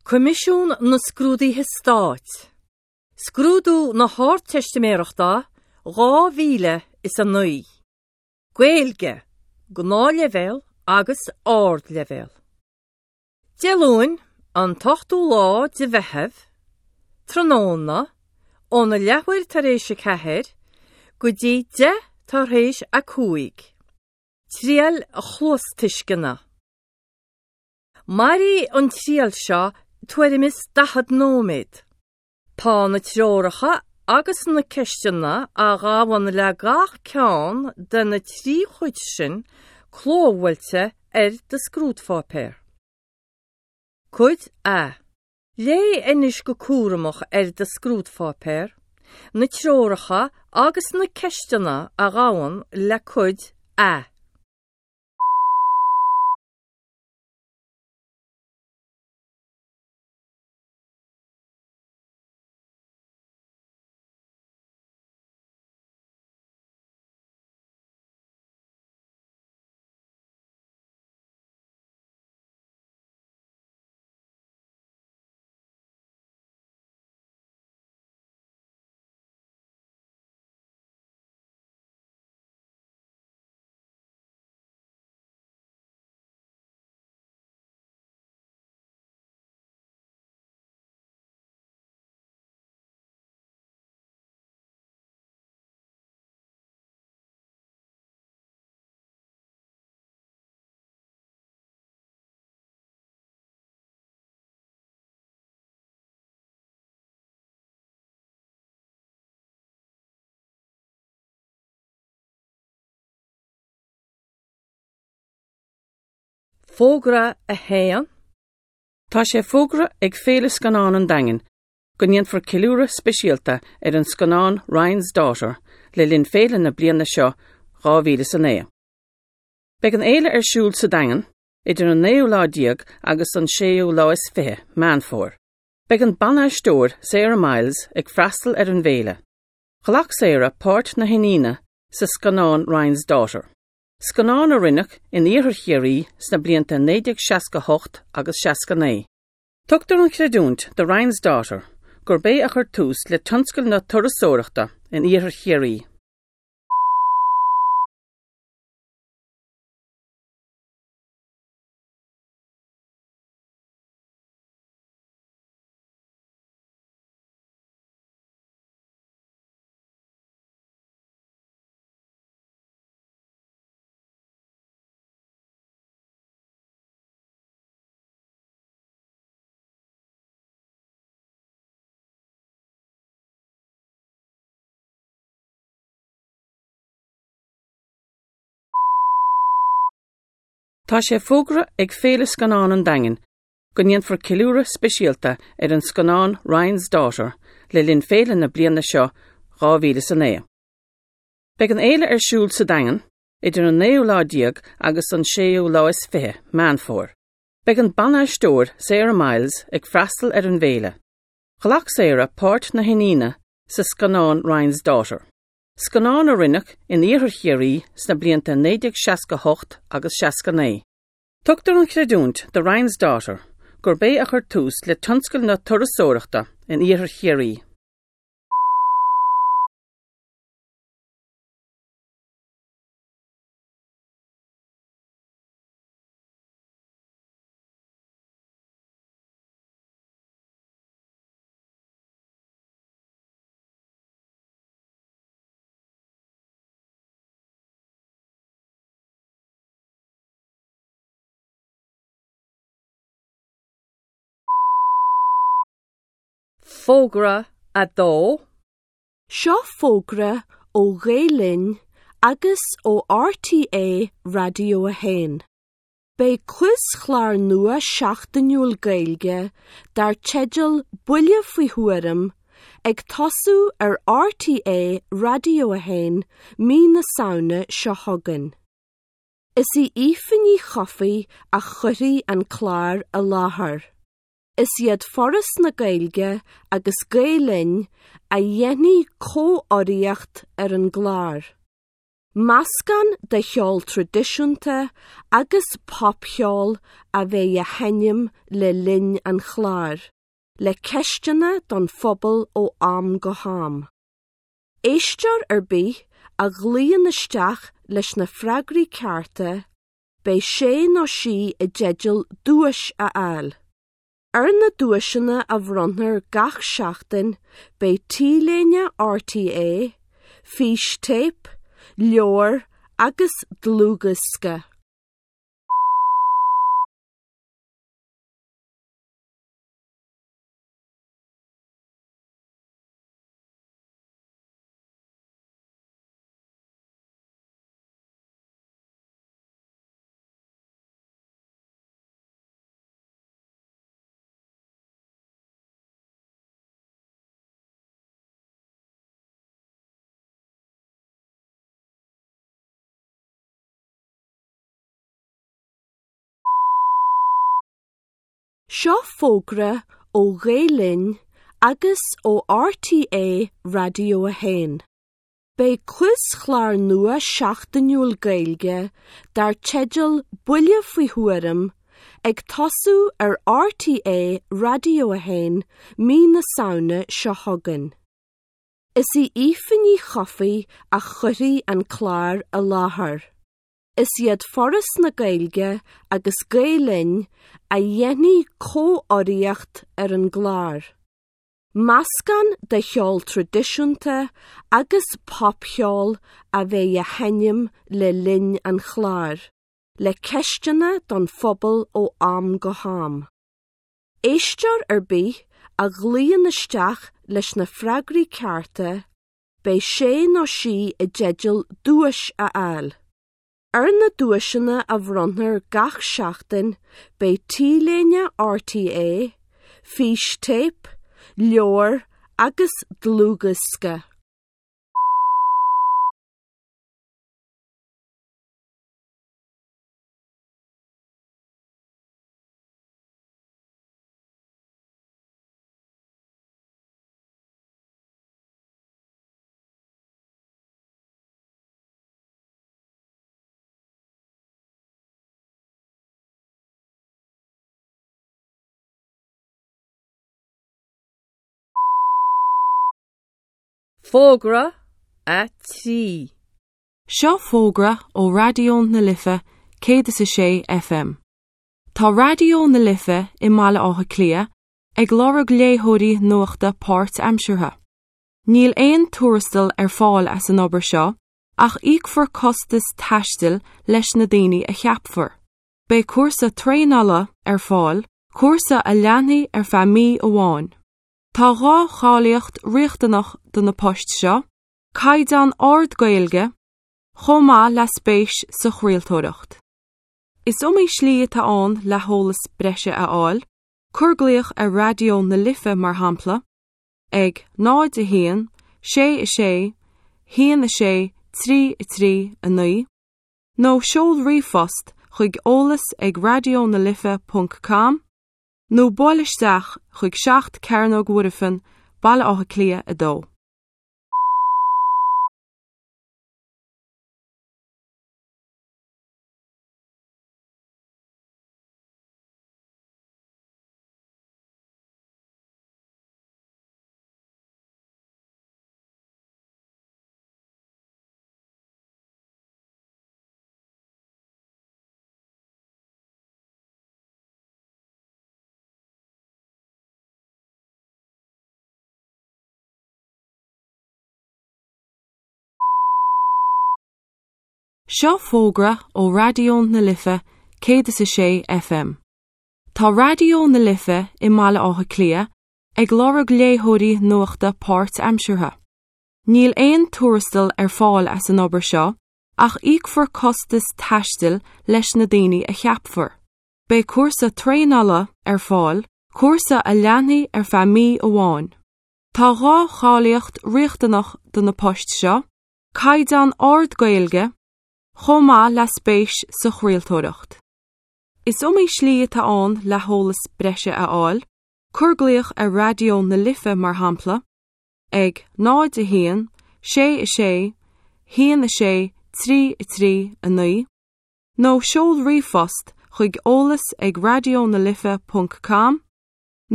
Coimisiún na Scrúduithe Stáit, Scrúdú na hArdteistiméireachta 2009, Gaeilge, Gnáthleibhéal agus Ardleibhéal. Dé Luain, an t-ochtú lá de Mheitheamh, tráthnóna, óna leathuair tar éis 4 go dtí 5 tar éis 5. Triail chluastuisceana. Mairfidh an triail seo tuairim is 40 nóiméad. Tá na treoracha agus na ceisteanna a ghabhann le gach ceann de na 3 chuid sin clóbhuailte ar do scrúdpháipéar. Cuid A. Léigh anois go cúramach ar do scrúdpháipéar na treoracha agus na ceisteanna a ghabhann le Cuid A. Fógra 1. Tá sé fógartha ag Féile Scannán an Daingin go ndéanfar ceiliúradh speisialta ar an scannán Ryan's Daughter le linn féile na bliana seo 2009. Beidh an fhéile ar siúl sa Daingean idir an naoú lá déag agus an séú lá is fiche Meán Fómhair. Beidh an ban-aisteoir Sarah Miles ag freastal ar an bhféile. Ghlac Sarah páirt na hiníne sa scannán Ryan's Daughter. Scannán a rinneadh in iarthar Chiarraí sna blianta 1968 agus 69. Tugtar an chreidiúint do Ryan's Daughter gurb é a chuir tús le tionscal na turasóireachta in iarthar Chiarraí. Tá sé fógartha ag Féile Scannán an Daingin go ndéanfar ceiliúradh speisialta ar an scannán Ryan's Daughter le linn féile na bliana seo 2009. Beidh an fhéile ar siúl sa Daingean idir an naoú lá déag agus an séú lá is fiche Meán Fómhair. Beidh an ban-aisteoir Sarah Miles ag freastal ar an bhféile. Ghlac Sarah páirt na hiníne sa scannán Ryan's Daughter. Scannán a rinneadh in iarthar Chiarraí sna blianta 1968 agus 69. Tugtar an chreidiúint do Ryan's Daughter gurb é a chuir tús le tionscal na turasóireachta in iarthar Chiarraí. Fógra 2. Seo fógra ó Ghael Linn agus ó RTÉ Raidió 1. Beidh quiz-chlár nua seachtainiúil Gaeilge dar teideal Buille Faoi Thuairim ag tosú ar RTÉ Raidió 1 mí na Samhna seo chugainn. Is í Aoife Ní Chofaigh a chuirfidh an clár i láthair. Is iad Foras na Gaeilge agus Gael Linn a dhéanfaidh comhurraíocht ar an gclár. Meascán de cheol traidisiúnta agus popcheol a bheidh á sheinm le linn an chláir, le ceisteanna don phobal ó am go ham. Éisteoir ar bith a ghlaonn isteach leis na freagraí cearta, beidh sé nó sí i dteideal duais a fháil. Ar na duaiseanna a bhronnfar gach seachtain beidh T-léine RTÉ, fístéip, leabhar agus dlúthdhiosca. Seo fógra ó Ghael Linn agus ó RTÉ Raidió 1. Beidh quiz-chlár nua seachtainiúil Gaeilge dar teideal Buille Faoi Thuairim ag tosú ar RTÉ Raidió 1 mí na Samhna seo chugainn. Is í Aoife Ní Chofaigh a chuirfidh an clár i láthair. Is iad Foras na Gaeilge agus Gael Linn a dhéanfaidh comhurraíocht ar an gclár. Meascán de cheol traidisiúnta agus popcheol a bheidh á sheinm le linn an chláir, le ceisteanna don phobal ó am go ham. Éisteoir ar bith a ghlaonn isteach leis na freagraí cearta, beidh sé nó sí i dteideal duais a fháil. Ar na duaiseanna a bhronnfar gach seachtain beidh T-léine RTÉ, fístéip, leabhar agus dlúthdhiosca. Fógra 3. Seo fógra ó Raidió na Life 106 FM. Tá Raidió na Life i mBaile Átha Cliath ag lorg léitheoirí nuachta páirtaimseartha. Níl aon tuarastal ar fáil as an obair seo ach íocfar costas taistil leis na daoine a cheapfar. Beidh cúrsa traenála ar fáil, cúrsa a leanfaidh ar feadh mí amháin. Tá dhá cháilíocht riachtanach do na poist seo, caighdeán ard Gaeilge, chomh maith le spéis sa chraoltóireacht. Is iomaí slí atá ann le heolas breise a fháil, cuir glaoch ar Raidió na Life mar shampla, ag 0 1 6 6 1 6 3 3 9 nó seol ríomhphost chuig eolas ag raidionalife.com nó buail isteach chuig 7 Cearnóg Mhuirfean, Baile Átha Cliath 2. Seo fógra ó Raidió na Life 106 FM. Tá Raidió na Life i mBaile Átha Cliath ag lorg léitheoirí nuachta páirtaimseartha. Níl aon tuarastal ar fáil as an obair seo ach íocfar costas taistil leis na daoine a cheapfar. Beidh cúrsa traenála ar fáil, cúrsa a leanfaidh ar feadh mí amháin. Tá dhá cháilíocht riachtanach do na poist seo, caighdeán ard Gaeilge, chomh maith le spéis sa chraoltóireacht. Is iomaí slí atá ann le heolas breise a fháil, Cuir glaoch ar Raidió na Life mar shampla ag 0 1 6 6 1 6 3 3 9 nó seol ríomhphost chuig eolas ag raidionalife.com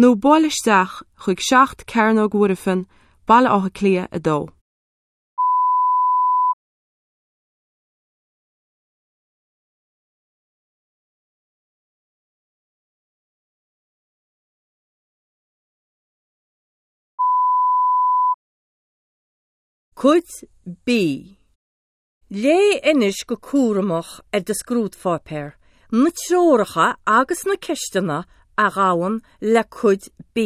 nó buail isteach chuig 7 Cearnóg Mhuirfean, Baile Átha Cliath 2. Cuid B. Léigh anois go cúramach ar do scrúdpháipéar na treoracha agus na ceisteanna a ghabhann le Cuid B.